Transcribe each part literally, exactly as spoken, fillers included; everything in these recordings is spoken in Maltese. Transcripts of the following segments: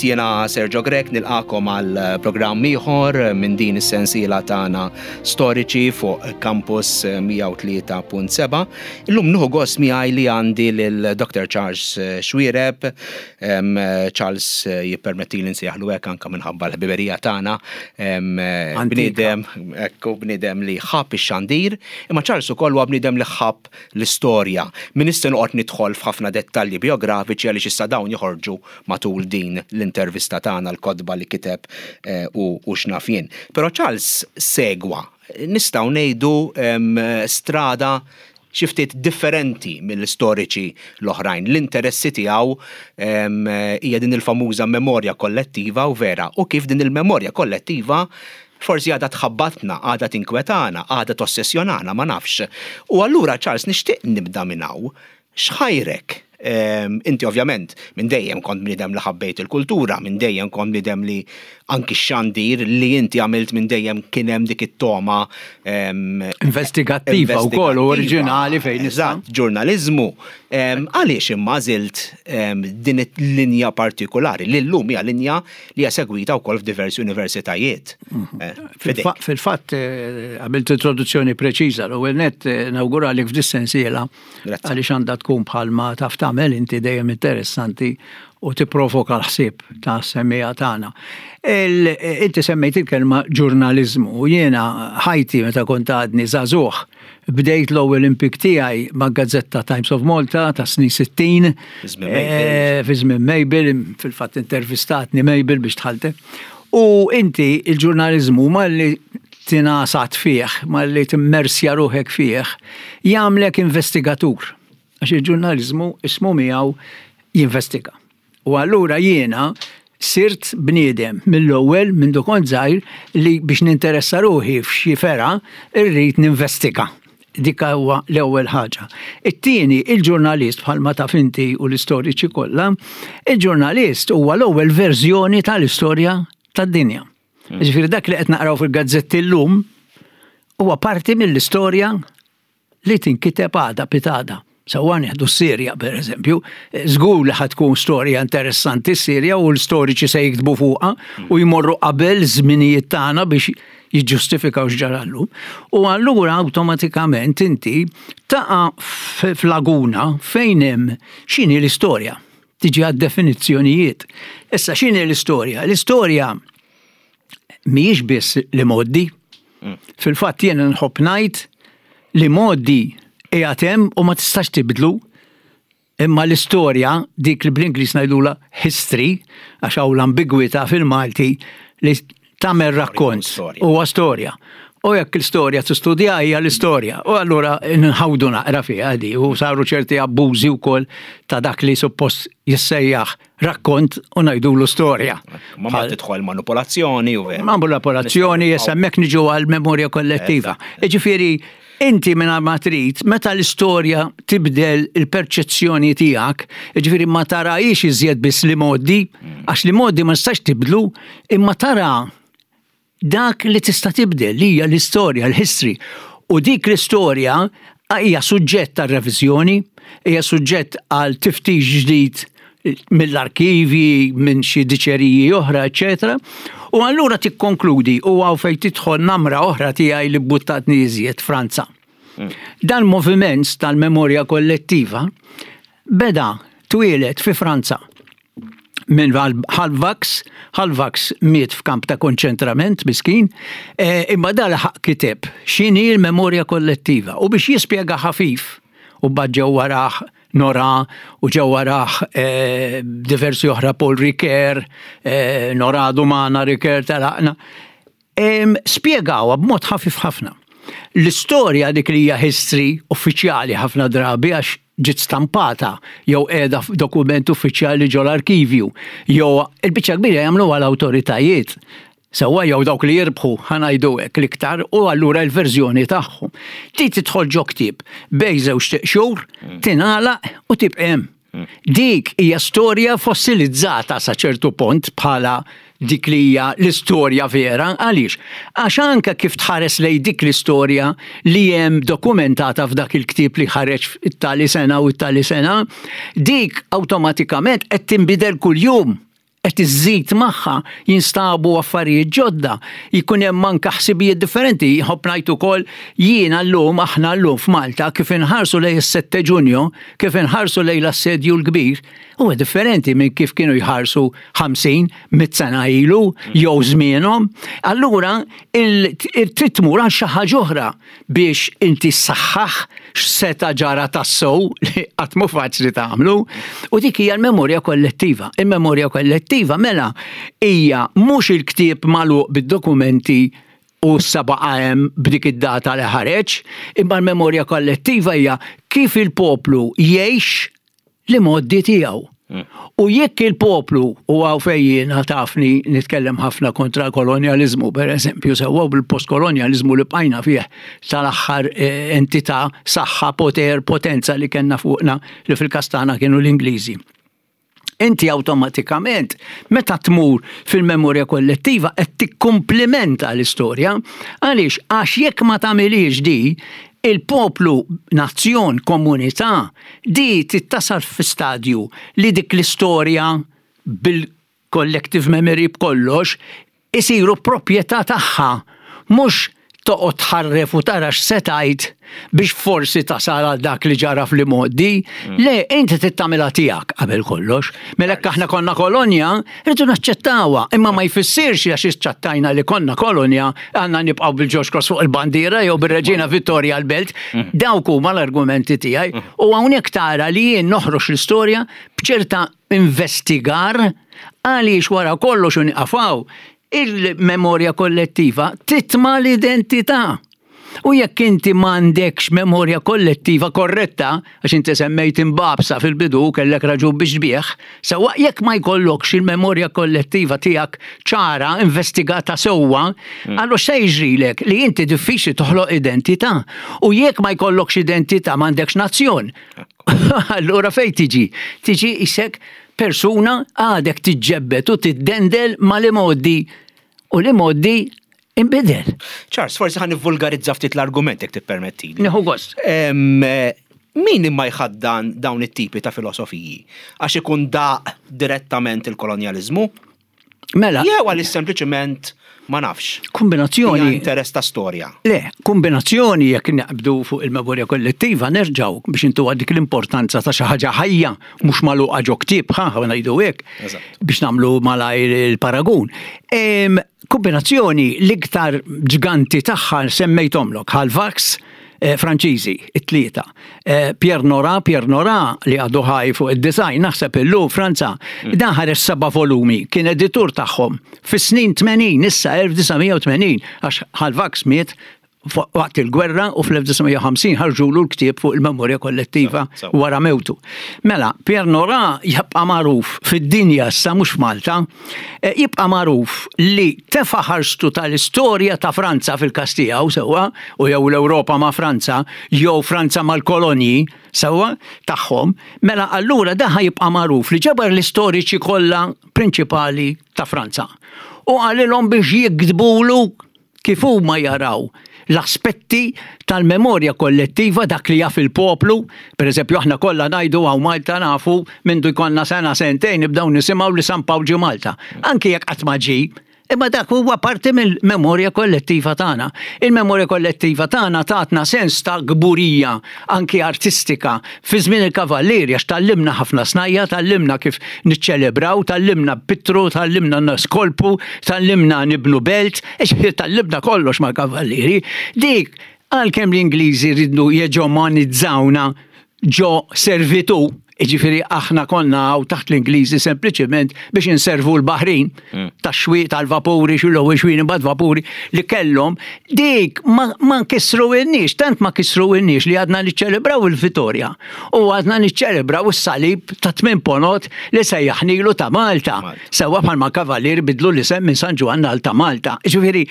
Mill-ġdid, jiena Sergio Grech, nilqagħkom għal programm ieħor minn din is-sensiela tagħna Storiċi fuq Campus mija u tlieta punt seba'. Illum nieħu gost miegħi li għandi lil Doctor Charles Xuereb. Charles, jippermetti li nsejjaħlu hekk anke minħabba l-ħbiberija tagħna. Bniedem, ekku, bniedem li ħabb ix-xandir, imma Charles ukoll huwa bniedem li ħabb l-istorja. Min issa noqgħod nidħol f'ħafna dettalji biografiċi għaliex issa dawn joħorġu matul din l-intervista tagħna, l-kotba li kiteb eh, u, u x'naf jien. Però Charles segwa, nistgħu ngħidu, strada xi ftit differenti mill-istoriċi l-oħrajn. L-interessi tiegħu hija din il-famuża memorja kollettiva u vera, u kif din il-memorja kollettiva forsi għadha tħabbatna, għadha tinkwetana, għadha tossessjonana, ma nafx. U allura, Charles, nixtieq nibda minn hawn. X'ħajrek? Inti ovvjament minn dejjem kont bniedem li ħabbejt il-kultura, minn dejjem kont bniedem li anki xandir li inti għamilt minn dejjem kien hemm dik it-toma investigattiva wkoll oriġinali fejn Eżatt, ġurnaliżmu. Għaliex imma għażilt din il-linja partikolari li llum hija linja li hija segwita wkoll f'diversi universitajiet? Mhm. Eh, fil-fatt eh, għamilt introduzzjoni preċiża. L-ewwel nett eh, nawguralek f'dis-sensiela għaliex għandha tkun, bħalma taf tagħmel inti, dejjem interessanti u tipprovoka l-ħsieb ta' semmiegħa tagħna. Inti semmejt il-kelma ġurnaliżmu u jiena ħajti, meta kont għadni żagħżugħ, bdejt l-ewwel impjieg tiegħi ma' gazzetta Times of Malta ta' snin sittin. Fi żmien Mabel, fil-fatt intervistatni Mabel biex dħalte. U inti il-ġurnaliżmu, malli tingħasat fih, malli timmersja ruħek fih, jagħmlek investigatur. Għax il-ġurnaliżmu, ismu miegħu, jinvestiga. U allura jiena sirt bniedem mill-ewwel, minn kont żgħir, li biex ninteressa ruħi f'xi fergħa irrid ninvestiga. Dik huwa l-ewwel ħaġa. It-tieni, il-ġurnalist, bħalma taf inti u l-istoriċi kollha, il-ġurnalist huwa l-ewwel verżjoni tal-istorja tad-dinja. Hmm. Ġifieri dak li qed naqraw fil-gazzetti llum huwa parti mill-istorja li tinkiteb għada pitgħada. Sewwa, nieħdu s-Sirja, per eżempju, żgur li ħa tkun storja interessanti s-Sirja u l-storiċi se jiktbu fuqha u jmorru qabel żminijiet tagħna biex jiġġustifikaw x'ġara llum. U allura awtomatikament inti taqa' f'laguna fejn hemm x'inhi l-istorja. Tiġi għad definizzjonijiet. Issa, x'inhi l-istorja? L-istorja mhijiex biss l-imgħoddi. Mm. Fil-fatt jiena nħobb ngħid li l-imgħoddi qiegħed hemm u ma tistax tibdlu. Imma l-istorja, dik li bl-Ingliż ngħidula history, għax hawn l-ambigwità fil-Malti li tagħmel rakkont. Huwa storja. U jekk l-istorja tistudja, hija l-istorja. U allura nħawdu naqra fiha di u saru ċerti abbużi wkoll ta' dak li suppost jissejjaħ rakkont u ngħidulu storja. Ma ma tidħol manipolazzjoni u Manipolazzjoni, hemmhekk niġu għal memorja kollettiva. Ġifieri, inti minn ma trid, meta l-istorja tibdel il-perċezzjoni tiegħek, ġifieri ma tarahiex iżjed biss l-imgħoddi, għax l-imgħoddi ma nistax tibdlu, imma tara dak li tista' tibdel, li hija l-istorja, l-history. U dik l-istorja hija suġġett għal reviżjoni, hija suġġett għal tiftix ġdid mill-arkivi, minn xi diċeriji oħra, eċetera. U allura tikkonkludi, u hawn fejn tidħol namra oħra tiegħi li buttatni iżjed, Franza. Dan moviment tal-memorja kollettiva beda, twieled fi Franza minn Halbwachs. Halbwachs miet f'kamp ta' konċentrament, miskin, eh, imma dal-ħaq kiteb x'inhi l-memorja kollettiva u biex jispjega ħafif, u mbagħad ġew warah Nora u ġew warah eh, diversi oħra, Paul Ricoeur, eh, Nora Dumana, Ricoeur telaqna. Spjegawa b'mod ħafif ħafna. L-istorja, dik li hija history uffiċjali ħafna drabi għax ġiet stampata jew qiegħda f'dokument uffiċjali ġol arkivju jew il-biċċa kbira jagħmlu għal awtoritajiet. Sewwa, jew dawk li jirbħu, ħa ngħidu hekk, l-iktar, u allura l-verżjoni tagħhom. Ti tidħol ġo ktieb bejn żewġ xhur, tingħalaq u tibqa' hemm. Dik hija storja fossilizzata sa ċertu punt bħala dik li hija l-istorja vera. Għaliex? Għax anke kif tħares lej dik l-istorja li hemm dokumentata f'dak il-ktieb li ħareġ it-tali sena u t-tali sena, dik awtomatikament qed tinbidel kuljum. Qed iżżid magħha, jinstabu affarijiet ġodda, jkun hemm anke ħsibijiet differenti. Ħobb ngħid ukoll jiena llum, aħna llum f'Malta, kif inħarsu lejn is-sette Ġunju, kif inħarsu lejn l-Assedju l-Kbir, huwa differenti minn kif kienu jħarsu ħamsin, mitt sena ilu jew żmienhom. Allura trid tmur għal xi ħaġa oħra biex inti ssaħħaħ x'seta ġara tassew li qatt mhu faċli tagħmlu. U dik hija l-memorja kollettiva. Il-memorja kollettiva mela hija mhux il-ktieb magħluq bid-dokumenti u s-seba' hemm b'dik id-data li ħareġ, imma l-memorja kollettiva hija kif il-poplu jgħix l-imgħoddi tiegħu. U jekk il-poplu, u hawn fejn jiena tafni nitkellem ħafna kontra l-kolonjalizmu, per eżempju, sewwa bil-postkolonjalizmu li bqajna fih tal-aħħar eh, entità, saħħa, poter, potenza li kellna fuqna li fil-każ tagħna kienu l-Ingliżi. Inti awtomatikament, meta tmur fil-memorja kollettiva, qed tikkumplimenta l-istorja. Għaliex? Għax jekk ma tagħmilix di, il-poplu, nazzjon, komunità, di tittasal fi stadju li dik l-istorja bil-collective memory b'kollox isiru proprjetà tagħha, mhux toqgħod tħarref u tara x'se tgħid biex forsi tasal għal dak li ġara fl-imgħoddi. Le, inti trid tagħmilha tiegħek qabel kollox. Mela jekk aħna konna kolonja, rridu naċċettawha, imma ma jfissirx għax iċċattajna li konna kolonja għandna nibqgħu bil-George Cross fuq il-bandiera jew bir-Reġina Vittoria l-Belt. Dawk huma l-argumenti tiegħi. U hawnhekk tara li jien noħroġ l-istorja b'ċerta investigar, għaliex wara kollox u nieqafaw il-memorja kollettiva titma l-identità. U jekk inti m'għandekx memorja kollettiva korretta, għax inti semmejt imbabsa fil-bidu, kellek raġun biex bieħ, sewwa, jekk ma jkollokx il-memorja kollettiva tiegħek ċara, investigata sewwa, allura se jiġrilek li inti diffiċli toħloq identità. U jekk ma jkollokx identità, m'għandekx nazzjon. Allura fejn tiġi? Tiġi isek persuna għadek tiġġebbet u tiddendel mal-imgħoddi u l-imgħoddi imbidel. Charles, forsi ħa nivvulgarizza ftit l-argument jekk tippermettili. Nieħu gost. Em, Min imma jħaddan dawn it-tipi ta' filosofiji? Għax ikun daq direttament il-kolonjalizmu? Mela, Jew għaliex sempliċement ma nafx. Kombinazzjoni. Hija interess ta' storja. Le, kombinazzjoni. Jekk naqbdu fuq il-memorja kollettiva, nerġaw biex intu dik l-importanza ta' xi ħaġa ħajja mhux magħluqa ġo ktieb, ħa ħa ngħidu hekk, Eżatt. biex nagħmlu malajr il-paragun. Em, Kombinazzjoni l-iktar ġganti tagħha semmejthomlok, Hallwachs, eh, Franċiżi, it-tlieta. Eh, Pierre Nora, Pierre Nora li għadu ħaj fuq id-design, naħseb illum Franza, dan ħareġ seba' volumi, kien editur tagħhom fis-snin tmenin, issa elf disa' mija u tmenin, għax Hallwachs miet fuq- waqt il-gwerra u fl-elf disa' mija u ħamsin ħarġulu l-ktieb fuq il-memorja kollettiva So, so. wara mewtu. Mela, Pierre Nora jibqa' magħruf fid-dinja issa, mhux f'Malta, eh, jibqa' magħruf li tefa' ħarstu tal-istorja ta' Franza fil-każ tiegħu, sewwa, u jew l-Ewropa ma' Franza, jew Franza mal-kolonji, sewwa, tagħhom, mela allura daħa jibqa' magħruf li ġabar l-istoriċi kollha prinċipali ta' Franza. U qalilhom biex jiktbulu kif huma jaraw l-aspetti tal-memorja kollettiva, dak li jaf il-poplu. Per eżempju, aħna kollha ngħidu hawn Malta nafu mindu jkollna sena, sentejn, nibdew nisimgħu li San Pawl ġie Malta. Anki jekk qatt ma ġie, imma dak huwa parti mill-memorja kollettiva tagħna. Il-memorja kollettiva tagħna tatna sens ta' kburija anki artistika fi żmien il-Kavallieri, għax tgħallimna ħafna snajja, tgħallimna kif niċċelebraw, tgħallimna npittru, tgħallimna niskolpu, tgħallimna nibnu belt, tgħallimna kollox mal-Kavallieri. Dik għalkemm l-Ingliżi rridu jeġemonizzawna ġo servitu, ġifieri aħna konna hawn taħt l-Ingliżi sempliċement biex inservu l-baħrin, tax-xwieq tal-vapuri, xullu xwien imbagħad vapuri li kellhom, dik ma, ma kisruhielniex, tant ma kisruhielniex li għadna niċċelebraw il-Vittoria u għadna niċċelebraw is-salib ta' tmien ponot li sejjaħnilu ta' Malta. Malta. Sewwa, bħalma Kavallier bidlu l-isem minn San Ġwann għal ta' Malta. Ġifieri,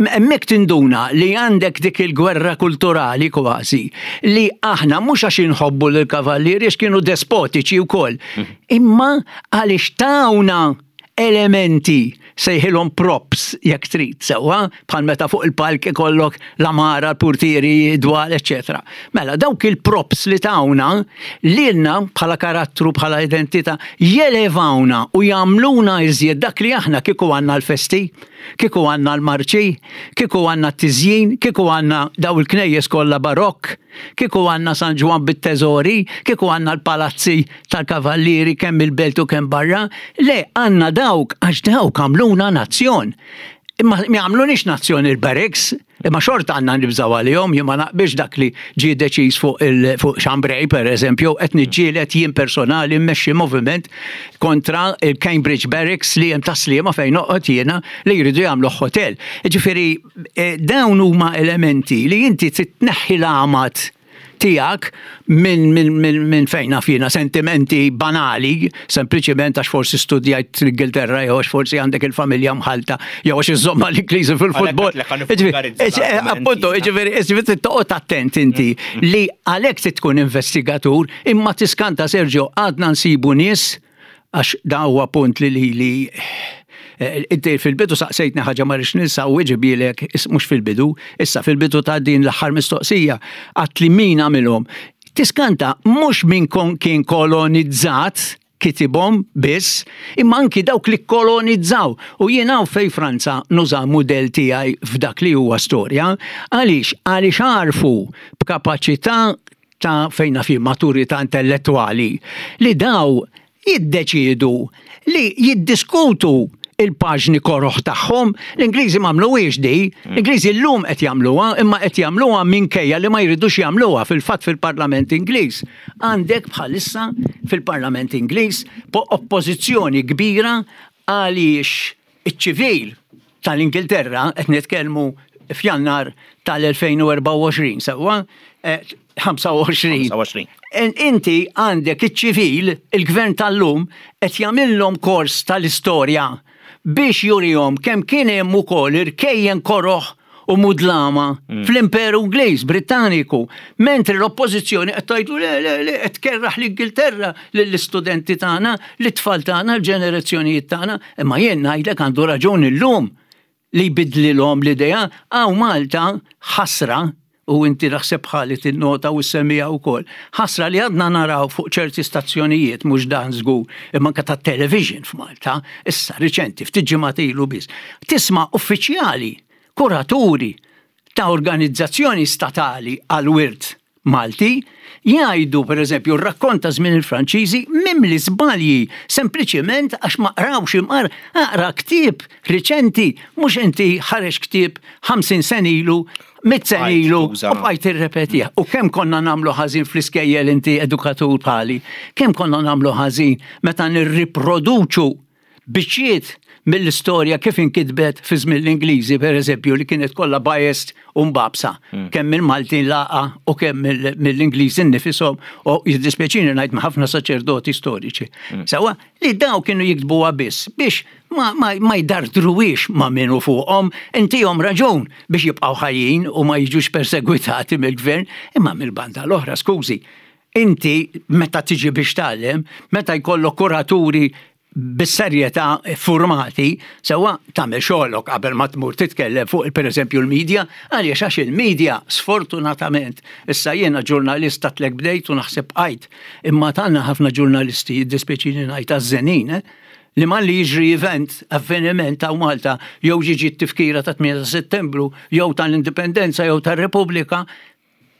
hemmhekk tinduna li għandek dik il-gwerra kulturali kważi li aħna mhux għax inħobbu l-kavallieri, għax kienu despotiċi wkoll, imma għaliex tawna elementi Sejħilhom props jekk trid, sewwa, bħal meta fuq il-palk ikollok l-għamara, l-purtieri, dwal, eċetera. Mela, dawk il-props li tawna, lilna bħala karattru, bħala identità, jelevawna u jagħmluna iżjed dak li aħna. Kieku għandna l-festi, kieku għandna l-marċi, kieku għandna t-tiżjin, kieku għandna daw il-knejjes kollha barokk, kieku għandna San Ġwann bit-teżori, kieku għandna l-palazzi tal-kavallieri kemm il-belt u kemm barra, le, għandna dawk għax dawk għamluna nazzjon. Imma ma jagħmlunix nazzjon il-barracks, imma xorta għandna nibżaw għalihom. Jien ma naqbilx dak li ġie deċiż fuq il fuq Chambray, per eżempju, qed niġġieled jien personali, mmexxi moviment kontra il-Cambridge Barracks li hemm Tas-Sliema fejn noqgħod jiena, li jridu jagħmlu hotel. Ġifieri eh, dawn huma elementi li inti titneħħi l-għamad tiegħek minn min, min, min fejn naf jiena, sentimenti banali, sempliċement għax forsi studjajt l-Ingilterra jew għax forsi għandek il-familja mħalta jew għax iżomma l-Ingliżi fil-futbol. Għalhekk għedtlek Ġifieri, għan Appunto, ġifieri, ġifieri toqgħod attent inti li għalhekk trid tkun investigatur, imma tiskanta, Sergio, għadna nsibu nies, għax da huwa punt li li li eh, Inti fil-bidu saqsejtni ħaġa ma rridx ninsa u weġibthielek, mhux fil-bidu, issa fil-bidu ta' din l-aħħar mistoqsija, għedt li min għamilhom. Tiskanta, mhux min kon kien kolonizzat kitibhom biss, imma anki dawk li kolonizzaw. U jien hawn fej Franza nuża mudell tiegħi f'dak li huwa storja, għaliex għaliex għarfu b'kapaċità ta' fejn fi maturità intellettuali li daw jiddeċidu li jiddiskutu il-paġni koroħ tagħhom. L-Ingliżi m'għamluhiex di, l-Ingliżi llum qed jagħmluha, imma qed jagħmluha minkejja li ma jridux jagħmluha. Fil-fatt fil-Parlament Ingliż. Għandek bħalissa fil-Parlament Ingliż po oppożizzjoni kbira għaliex iċ-ċivil tal-Ingilterra, qed nitkellmu f'Jannar tal-elfejn u erbgħa u għoxrin, sewwa, eh, ħamsa u għoxrin. ħamsa u għoxrin. En- Inti għandek iċ-ċivil, il-gvern tal-lum, qed jagħmilhom kors tal-istorja biex jurihom kemm kien hemm ukoll irkejjen koroħ u mudlama fl-Imperu Ingliż Britanniku, mentri l-oppożizzjoni qed tgħidu le, le, le, qed tkerraħ l-Ingilterra lill-istudenti tagħna, l-itfal tagħna, l-ġenerazzjonijiet tagħna, imma jien ngħidlek għandu raġun illum li jbidlilhom l-idea. Hawn Malta ħasra, u inti naħseb bħali tinnota u semmija wkoll. Ħasra li għadna naraw fuq ċerti stazzjonijiet, mhux dan żgur, imma anke tat-television f'Malta, issa riċenti, ftit ġimgħat ilu biss. Tisma' uffiċjali, kuraturi ta' organizzazzjoni statali għal-wirt Malti jgħidu, per eżempju, rakkonta żmien il-Franċiżi mimli żbalji, sempliċement għax ma qrawx imqar aqra ktieb riċenti, mhux inti ħareġ ktieb ħamsin sen ilu, mitt sen Bqajt ilu, tuża. u bqajt tirrepetih. U kemm konna nagħmlu ħażin fl-iskejjel, inti edukatur bħali, kemm konna nagħmlu ħażin meta nirriproduċu biċċiet mill-istorja kif inkitbet fi żmien l-Ingliżi, per eżempju, li kienet kollha biased u mbabsa. Kemm mill-Maltin laqa u kemm mill- mill-Ingliżi nifishom, u jiddispjaċini ngħid ma' ħafna saċerdoti storiċi. Sewwa, li daw kienu jiktbuha biss biex ma, ma, ma jdardruwix ma' minnu fuqhom, intihom raġun biex jibqgħu ħajjin u ma jiġux persegwitati mill-gvern, imma mill-banda l-oħra, skużi, inti meta tiġi biex tgħallem, meta jkollok kuraturi bis-serjetà formati, sewwa, tagħmel xogħolok qabel ma tmur titkellem fuq per eżempju l-medja, għaliex għax il-medja sfortunatament, issa jiena ġurnalista tlek bdejt u naħseb bqajt, imma tagħna ħafna ġurnalisti, jiddispjaċini ngħid għażżenin, eh? Li malli jiġri event, avveniment ta' Malta, jew ġiġi t-tifkira ta' tmienja ta' Settembru, jew tal-Indipendenza, jew tal-Repubblika,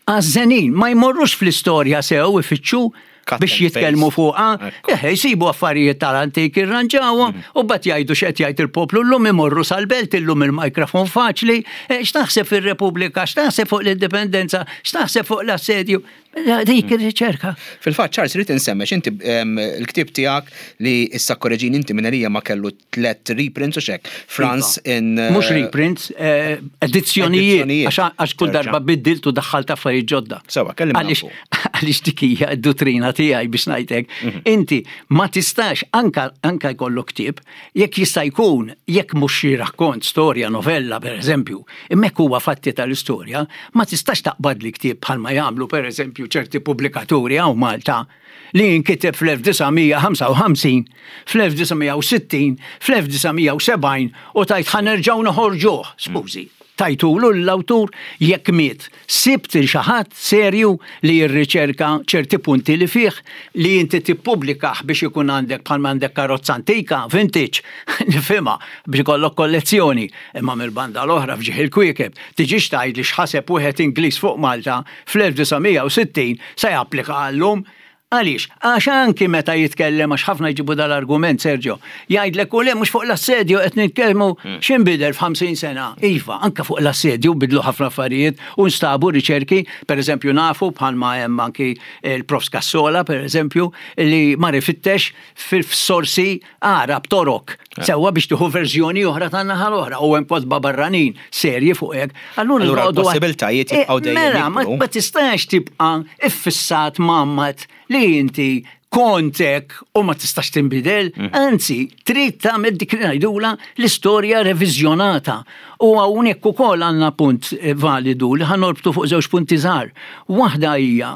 għażżenin, ma jmorrux fl-istorja sew ifittxu Cut biex and jitkellmu paste. fuqha, Ekku. eħe, jsibu affarijiet tal-antik, irranġawhom, u bat jgħidu x'qed jgħid il-poplu llum, imorru sal-belt illum, il-mikrofon faċli, eh, x'taħseb fir-Repubblika, x'taħseb fuq l-Indipendenza, x'taħseb fuq l-assedju, Eh, dik ir-riċerka. Fil-fatt, Charles, rrid insemmex inti em, il-ktieb tiegħek li issa korreġini inti minn għalija ma kellu tlet reprints u xek. France in eh, Mhux reprints, eh, edizzjonijiet, Edizzjonijiet. għax għax kull Terġa'. darba biddilt u daħħalt affarijiet ġodda. Sewwa, kellimna Għaliex fuq. għaliex dik hija d-dottrina tiegħi biex ngħidlek. Mhm. Inti ma tistax anka anka jkollok ktieb, jekk jista' jkun, jekk mhux xi rakkont, storja, novella pereżempju, imma jekk huwa fatti tal-istorja, ma tistax taqbad li ktieb bħalma jagħmlu pereżempju eżempju ċerti pubblikaturi hawn Malta li jinkiteb fl-elf disa' mija ħamsa u ħamsin, fl-elf disa' mija u sittin, fl-elf disa' mija u sebgħin u tgħid ħa nerġgħu noħorġuh, skużi. Tajtulu l-awtur jekk miet? Sibt il xi ħadd serju li jirriċerka ċerti punti li fih li inti tippubblikah biex ikun għandek bħal għandek karozza antika, vintage, nifhimha, biex ikollok kollezzjoni. Imma mill-banda l-oħra, f'ġieħ il-kwiekeb, tiġix tgħid li x'ħaseb wieħed Ingliż fuq Malta fl-elf disa' mija u sittin se japplika għallum. Għaliex? Għax anki meta jitkellem, għax ħafna jġibu dal-argument, Sergio, jgħidlek u le, mhux fuq l-assedju qed nitkellmu, x'inbidel f'ħamsin sena. Iva, anka fuq l-assedju bidlu ħafna affarijiet u nstabu riċerki, per eżempju nafu bħalma hemm anki il-Profs Cassola, per eżempju, li mar ifittex fil-sorsi Għarab Torok. Sewwa, biex tieħu verżjoni oħra tan-naħa l-oħra u hemm kotba barranin serji fuq hekk. Allura Allura noqogħdu- l-possibiltajiet jibqgħu Eh, dejjem Mela, ma jikbru. ma tistax tibqa' iffissat mammat li inti kontek u ma tistax tinbidel, anzi, trid tagħmel dik li ngħidula l-istorja reviżjonata. U hawnhekk ukoll għandna punt eh, validu li ħa norbtu fuq żewġ punti żgħar. Waħda hija,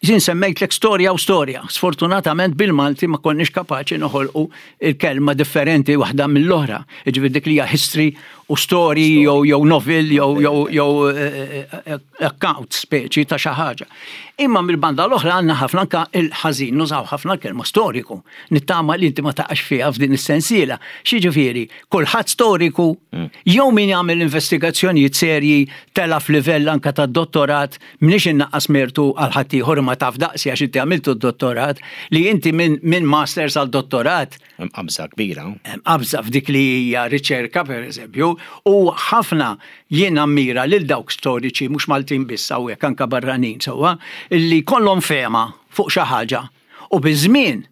jien semmejtlek storja u storja. Sfortunatament bil-Malti ma konniex kapaċi noħolqu il-kelma differenti waħda mill-oħra. Ġifieri dik li hija history u story jew jew novel jew jew jew eh, eh, account speċi ta' xi ħaġa. Imma mill-banda l-oħra għandna ħafna anka il-ħażin nużaw ħafna l-kelma storiku. Nittama li inti ma taqax fiha f'din is-sensiela. X'jiġifieri, kulħadd storiku jew min jagħmel investigazzjonijiet serji tela f'livell anka ta' dottorat, m'iniex innaqqas mertu għal ħaddieħor, ma taf daqsi għax inti għamiltu d-dottorat, li inti minn min masters għal dottorat Hemm qabża kbira. Hemm qabża f'dik li hija riċerka, per eżempju, u ħafna jien ammira lil dawk storiċi, mhux Maltin biss hawnhekk, anka barranin, sewwa, li kollhom fehma fuq xi ħaġa u biż-żmien,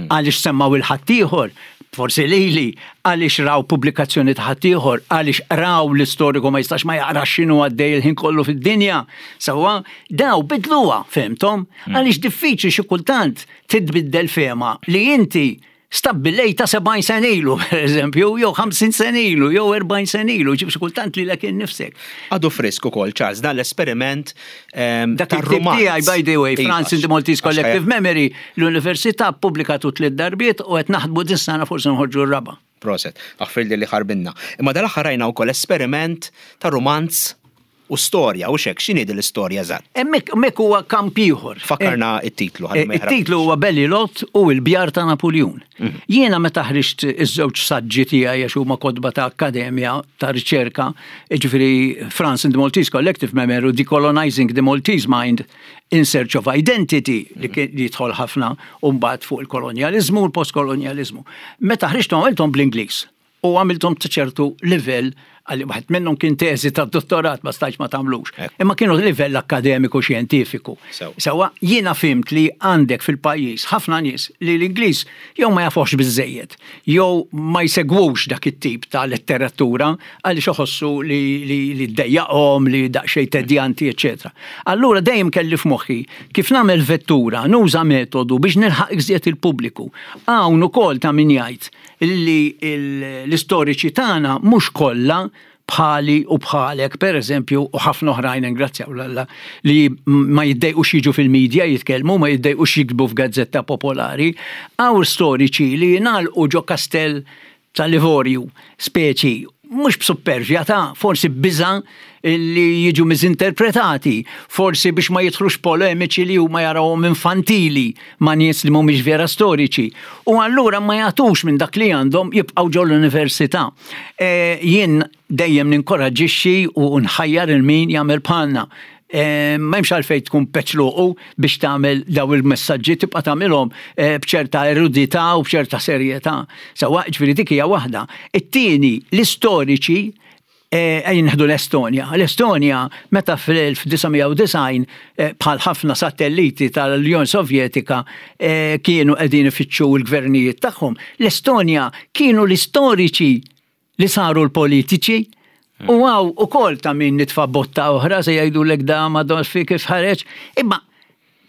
għaliex semmaw il-ħaddieħor, forsi lili, għaliex raw pubblikazzjoni ta' ħaddieħor, għaliex raw l-istoriku ma jistax ma jaqrax x'inhu għaddej il-ħin kollu fid-dinja. Sewwa, daw bidluha fehmthom, għaliex diffiċli xi kultant titbiddel fehma li inti stabbilejta sebgħin sena ilu, per eżempju, jew ħamsin sena ilu, jew erbgħin sena ilu, ġib xi kultant li lek innifsek. Għadu frisk ukoll, Charles, dan l-esperiment ehm, Dak il-ktib tar-romanz. tiegħi, by the way, Iva, France in the Maltese għax Collective Memory, l-Università ppubblikat tliet darbiet u qed naħdmu dis-sena forsi nħorġu r-raba'. Proset, aħfirli li ħarbinna. Imma dal-aħħar rajna wkoll esperiment ta' romanz u storja, u xek, x'inhi din l-istorja eżatt? Hemmhekk hemmhekk huwa kamp ieħor. Fakkarna it-titlu. Ħalli ma Eh, it-titlu huwa Bellilot u l-Bjar ta' Napoleon. Jiena meta ħriġt iż-żewġ saġġi tiegħi, għax huma kotba ta' akkademja ta' riċerka, jiġifieri France in the Maltese Collective Memory u Decolonizing the Maltese Mind in Search of Identity, li kien li jidħol ħafna u mbagħad fuq il-kolonjaliżmu u l-postkolonjaliżmu. Meta ħriġthom għamilthom bl-Ingliż u għamilthom ta' ċertu livell, għalli waħed minnhom kien teżi ta' dottorat, ma stajtx ma tagħmlux. Ekku. Imma kienu livell akkademiku xjentifiku. Sew. Sewwa, jiena fhimt li għandek fil-pajjiż ħafna nies li l-Ingliż jew ma jafux biżejjed, jew ma jsegwux dak it-tip ta' letteratura għaliex iħossu li li li ddejjaqhom, li daqsxejn tedjanti, eċetera. Allura dejjem kelli f'moħħi kif nagħmel vettura, nuża metodu biex nilħaq iżjed il-pubbliku. Hawn ukoll ta' min jgħid li il- l-istoriċi tagħna mhux kollha bħali u bħalek, per eżempju, u ħafna oħrajn, ingrazzjaw l-Alla, li ma jiddejqux jiġu fil-medja jitkellmu, ma jiddejqux jiktbu f'gazzetta popolari, hawn storiċi li jingħalqu ġo kastell tal-Livorju, speċi, mhux b'suppervja ta' forsi biża li jiġu miżinterpretati, forsi biex ma jidħlux polemiċi li huma jarawhom infantili ma' nies li mhumiex vera storiċi. U allura ma jagħtux minn dak li għandhom, jibqgħu ġol l-università. E, jien dejjem ninkoraġġixxi u nħajjar il min jagħmel bħalna. E, ma hemmx għalfejn tkun peċluqu biex tagħmel daw il-messaġġi, tibqa' tagħmilhom e, b'ċerta erudità u b'ċerta serjetà. Sewwa, ġifieri dik hija waħda. It-tieni, l-istoriċi, ejja nieħdu l-Estonja. L-Estonja meta fl-elf disa' mija u disgħin, bħal ħafna satelliti tal-Unjoni Sovjetika, eh, kienu qegħdin ifittxu l-gvernijiet tagħhom. L-Estonja kienu l-istoriċi li saru l-politiċi. U hawn ukoll ta' min nitfa' botta oħra, se jgħidu l da ma fi kif ħareġ. Imma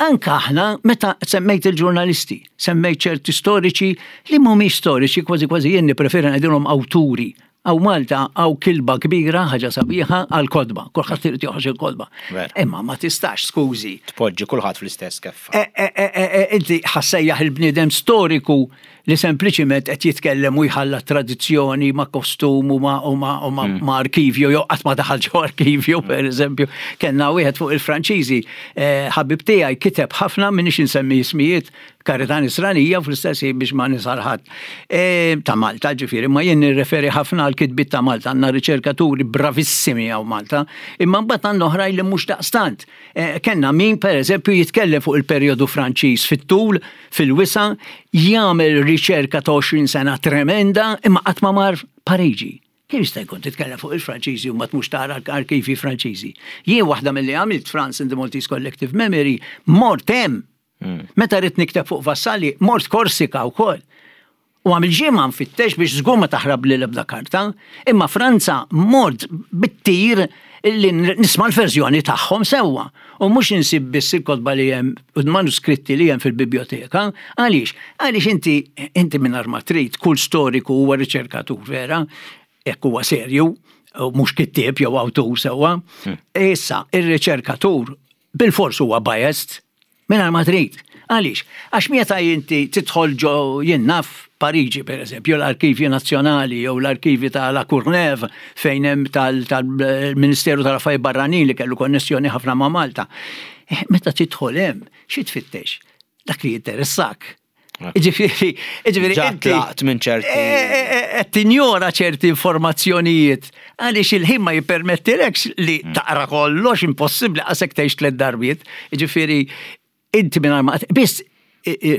anka aħna, meta semmejt il-ġurnalisti, semmejt ċerti storiċi li mhumiex storiċi, kważi kważi jien nippreferi ngħidilhom awturi. Hawn Malta hawn kilba kbira, ħaġa sabiħa, għal kotba. Kulħadd irid joħroġ il-kotba. Imma ma tistax, skużi. Tpoġġi kulħadd fl-istess keffa. E, e, e, inti ħa ssejjaħ il-bniedem storiku li sempliċiment qed jitkellem u jħalla tradizzjoni ma' kostum u ma' u ma' u ma' mm. ma' arkivju, jew qatt ma daħal ġo arkivju, per eżempju. Kellna wieħed fuq il-Franċiżi, ħabib tiegħi kiteb ħafna, minix insemmi ismijiet, karità nisranija fl-istess biex ma nisarħat. E, ta' Malta, ġifieri, ma jien nirreferi ħafna għal kitbiet ta' Malta, għandna riċerkaturi bravissimi hawn Malta, imma mbagħad għandna oħrajn li mhux daqstant. E, kellna min, per eżempju, jitkellem fuq il-perjodu Franċiż fit-tul, fil-wisa, jagħmel riċerka ta' għoxrin sena tremenda, imma qatt ma mar Pariġi. Kif jista' jkun titkellem fuq il-Franċiżi u ma tmux tara arkivi Franċiżi? Jien waħda milli għamilt France in the Maltese Collective Memory, mort hemm. Mm. Meta rrid nikteb fuq Vassalli, mort Korsika wkoll. U għamil ġimgħa nfittex biex żgur ma taħrab li l-ebda karta, imma Franza mort bit-tir li nisma' l-verżjoni tagħhom sewwa. U mhux insib biss il-kotba li hemm u manuskritti li hemm fil-biblioteka. Għaliex? Għaliex inti inti mingħajr ma trid, kull storiku huwa riċerkatur vera, jekk huwa serju, u mhux kittieb jew awtur sewwa. Hmm. Issa, ir-riċerkatur bil-fors huwa biased mingħajr ma trid. Għaliex? Għax meta inti tidħol ġo jien naf Pariġi, per eżempju, l-Arkivju Nazzjonali jew l-Arkivi ta' La Courneuve fejn hemm tal-Ministeru tal-Affarijiet Barranin li kellu konnessjoni ħafna ma' Malta. Eh, meta tidħol hemm, xi tfittex? Dak li jinteressak. Ġifieri, ġifieri, inti tlaqt minn ċerti. Eh, eh, eh, tinjora ċerti informazzjonijiet għaliex il-ħin ma jippermettilekx li mm. taqra kollox, impossibbli għasek tgħix tliet darbiet. Ġifieri, inti minn ma biss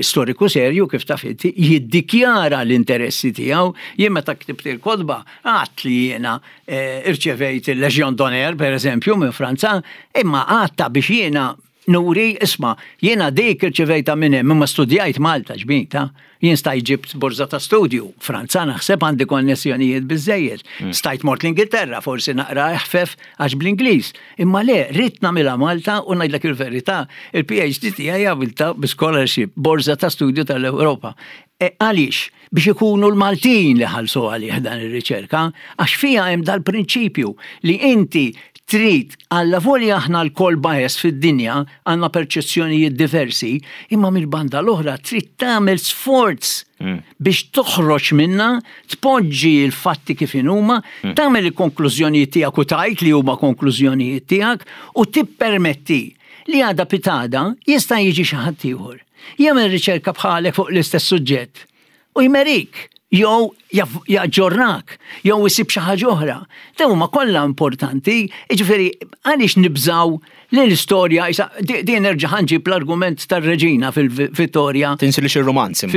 storiku serju kif taf inti jiddikjara l-interessi tiegħu. Jien meta ktibt il-kotba għedt li jiena irċevejt il-Legion d'Honneur, per eżempju, minn Franza, imma għedtha biex jiena nuri, isma', jiena dik irċevejta minn hemm, imma studjajt Malta ġbita. Jien stajt ġibt borza ta' studju, Franza naħseb għandi konnessjonijiet biżejjed. Mm. Stajt mort l-Ingilterra, forsi naqra eħfef għax bl-Ingliż. Imma le, ridt nagħmilha Malta u ngħidlek il-verità, il-P H D tiegħi għamilta bi scholarship, borza ta' studju tal-Ewropa. E, għaliex? Biex ikunu l-Maltin li ħalsu għalih dan ir-riċerka, għax fija hemm dal-prinċipju li inti trid għalla volja aħna lkoll bias fid-dinja, għandna perċezzjonijiet diversi, imma mill-banda l-oħra trid tagħmel sforz mm. biex toħroġ minna, tpoġġi l-fatti kif huma, mm. tagħmel il-konklużjonijiet tiegħek u tgħid li huma konklużjonijiet tiegħek u tippermetti li għada pitgħada jista' jiġi xi ħadd ieħor. Jagħmel riċerka bħalek fuq l-istess suġġett u jmerik jew jaġġornak, jew isib xi ħaġa oħra. Dawn huma kollha importanti, jiġifieri għaliex nibżaw li l-istorja, din nerġa' ħanġib l-argument tar-Reġina fil-Vittoria. Tinsilix ir-romanzi.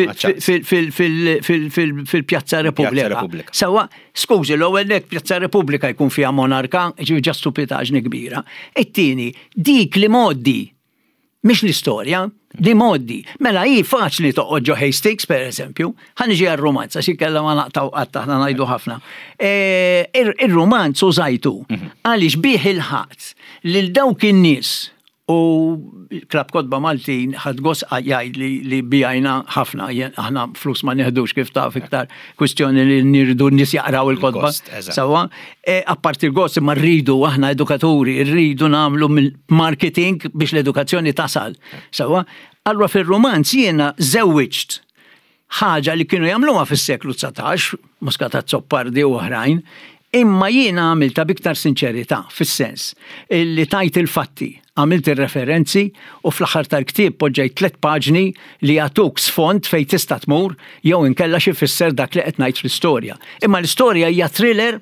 Fil-Pjazza Repubblika. Sewwa, skużi, l-ewwel nek Pjazza Repubblika jkun fiha monarka, ġifieri ġa stupidaġni kbira. It-tieni, dik li moddi mhix l-istorja, li moddi. Mela hi faċli toqgħod ġo Hastings, per eżempju, ħa niġi għar-romanz, għax inkella ma naqtaw qatt aħna ngħidu ħafna. E, ir-romanz użajtu mhm. għaliex bih il-ħadd lil dawk in-nies u Klabb Kotba Maltin ħadt gost jgħid li, li bijajna ħafna, aħna flus ma neħdux kif taf iktar kwistjoni li nirdu n-nies jaqraw il-kotba. Sewwa, e, apparti il-gost imma rridu aħna edukaturi, rridu nagħmlu marketing biex l-edukazzjoni tasal. Sewwa, allura fil-romanz jiena żewwiġt ħaġa li kienu jagħmluha fis-seklu dsatax, Muscat Azzopardi u oħrajn, imma jiena għamilta biktar sinċerità, fis-sens li tajt il-fatti, għamilt il-referenzi u fl-aħħar tal-ktieb poġġejt tliet paġni li jagħtuk sfond fejn tista' tmur jew inkella xi fisser dak li qed ngħid fl-istorja. Imma l-istorja hija thriller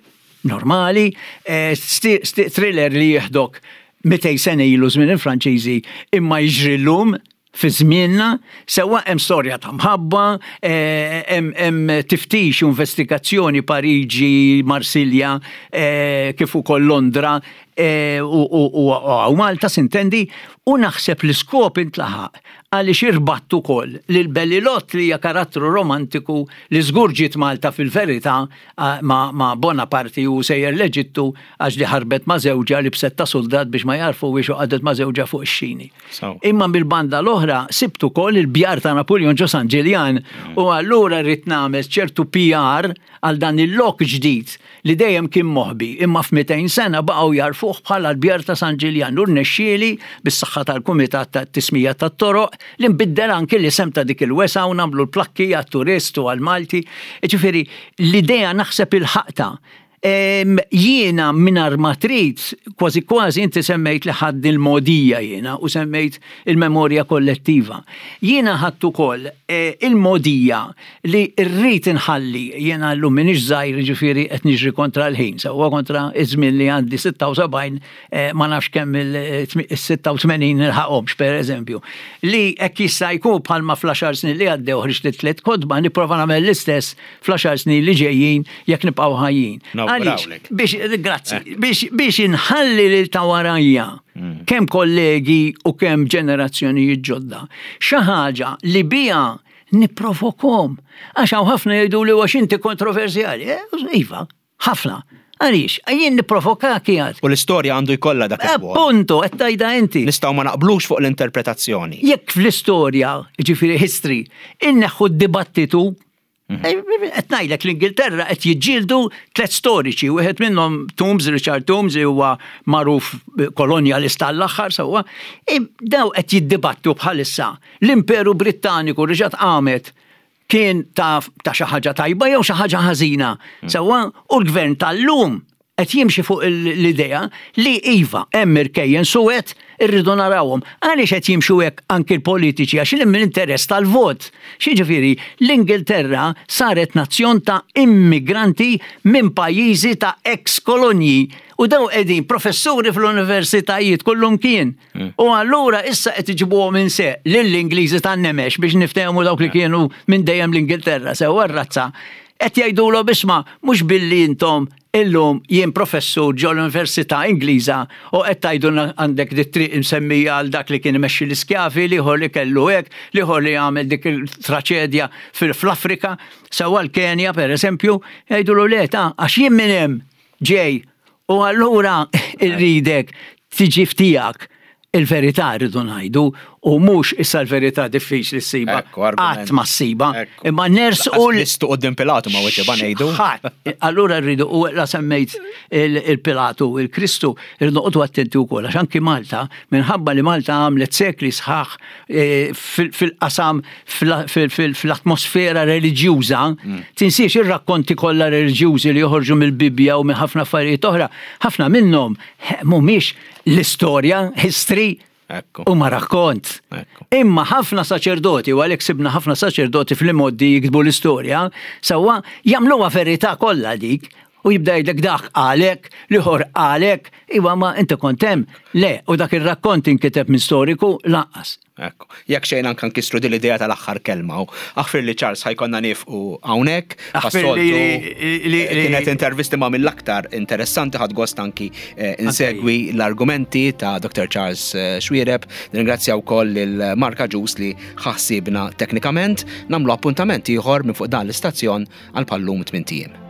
normali, eh, thriller li jieħdok mitejn sena ilu żmien il-Franċiżi imma jiġri llum fi żmienna, sewwa hemm storja ta' mħabba, eh, hemm tiftix u investigazzjoni Pariġi, Marsilja, eh, kif ukoll Londra. eh, u Malta sintendi, u naħseb l-iskop intlaħaq għaliex irbattu ukoll lil Bellilot li hija karattru romantiku li żgur ġiet Malta fil-verità ma', ma Bonaparte u sejjer l-Eġittu għax li ħarbet ma' żewġha li bsetta soldat biex ma jarfu biex u qagħdet ma' żewġha fuq ix-xini. Imma mill-banda l-oħra sibtu ukoll il-bjar ta' Napoleon ġo San Ġiljan mm. u allura rrid nagħmel ċertu P R għal dan il-lok ġdid li dejjem kien moħbi, imma f'mitejn sena baqgħu jarfuh bħala l-bjar ta' San Ġiljan u rnexxieli bis-saħħa tal-Kumitat tat-Tismija tat-Toroq li nbiddel anki l-isem ta' dik il-wesgħa u nagħmlu l-plakki għat-turist u għal-Malti. Ġifieri l-idea naħseb il-ħaqta. Jiena mingħajr ma trid, kważi kważi inti semmejt li ħadd il-modija jiena u semmejt il-memorja kollettiva. Jiena ħadd ukoll eh, il-modija li rrid inħalli, jiena llum m'iniex żgħir, ġifieri qed niġri kontra l-ħin, sewwa kontra iż-żmien li għandi sitta u sebgħin, eh, ma nafx kemm il-sitta u tmenin nilħaqhomx, per eżempju. Li hekk jista' jkun bħalma fl-għaxar snin li għaddew ħriġt tliet kotba, nipprova nagħmel l-istess fl-għaxar snin li ġejjin jekk nibqgħu ħajjin. Għaliex? Biex, grazzi, eh. biex, biex inħalli lil ta' warajja, mm. kemm kollegi u kemm ġenerazzjonijiet ġodda, xi ħaġa li bija nipprovokom. Għax hawn ħafna jgħidu li għax inti kontroversjali. Eh, iva, ħafna. Għaliex, jien nipprovoka kijat. U l-istorja għandu jkollha dak il Punto, qed tgħidha inti. Nistgħu ma naqblux fuq l-interpretazzjoni. Jekk fl-istorja, ġifieri history, inneħħu d-dibattitu. Mhm. Qed ngħidlek l-Ingilterra qed jiġġieldu tliet storiċi, wieħed minnhom Tombs, Richard Tombs, li huwa magħruf kolonjalista l-aħħar sewwa, daw qed jiddibattu bħalissa. L-Imperu Brittaniku reġgħet qamet kien ta' xi ħaġa tajba jew xi ħaġa ħażina. Mm. Sewwa, u l-gvern tal-lum qed jimxi fuq l-idea li iva hemm irkejjen suwed irridu narawhom. Għaliex qed jimxu hekk anki l-politiċi? Għax l-interess tal-vot. Xiġifieri l-Ingilterra saret nazzjon ta' immigranti minn pajjiżi ta' ex-kolonji u daw qegħdin professuri fl-universitajiet kullum kien. Mm. U allura issa qed iġibuhom minn se lill-Ingliżi tan-nemex biex niftehmu dawk li kienu minn dejjem l-Ingilterra sew razza. Qed jgħidulhom, isma', mhux billi intom illum jien professur ġo l-Università Ingliża u qed tgħidu għandek dit triq insemmija għal dak li kien imexxi l-iskjavi, l-ieħor li kellu hekk, l-ieħor li għamel dik il-traċedja fil-Afrika, sewwa l-Kenja per eżempju, jgħidulu le ta' għax jien minn hemm ġej u allura irridek tiġi ftijak il-verità rridu ngħidu u mhux issa l-verità diffiċli ssiba. Qatt ma ssiba. Imma nersqu Kristu quddiem Pilatu ma weġiba ngħidu. Allura rridu, u la semmejt il-Pilatu, il-Kristu, rridu noqogħdu attenti wkoll għax anki Malta, minħabba li Malta għamlet sekli sħaħ eh, fil-qasam fl-atmosfera reliġjuża, mm. tinsiex ir-rakkonti kollha reliġjużi li joħorġu mill-Bibja u minn ħafna affarijiet oħra, ħafna minnhom mhumiex l-istorja, history, u ma rakkont. Imma ħafna saċerdoti, u għalhekk sibna ħafna saċerdoti fl-imoddi jiktbu l-istorja, sewwa jagħmluha verità kollha dik, u jibda jgħidlek dak għalek, l-ieħor għalek, iwa ma inti kont hemm, le, u dak ir-rakkont inkiteb minn storiku lanqas. Ekku. Jekk xejn anke nkissru din l-idea tal-aħħar kelma. Aħfir li Charles ħa jkollna nieqfu hawnhekk. Kienet intervista ma mill-aktar interessanti, ħadt gost anki eh, insegwi l-argumenti ta' Doctor Charles eh, Xuereb. Ringrazzja wkoll lil Marka Ġus li ħassibna teknikament. Nagħmlu appuntament ieħor minn fuq dan l-istazzjon għal bħal-lum tmint ijiem.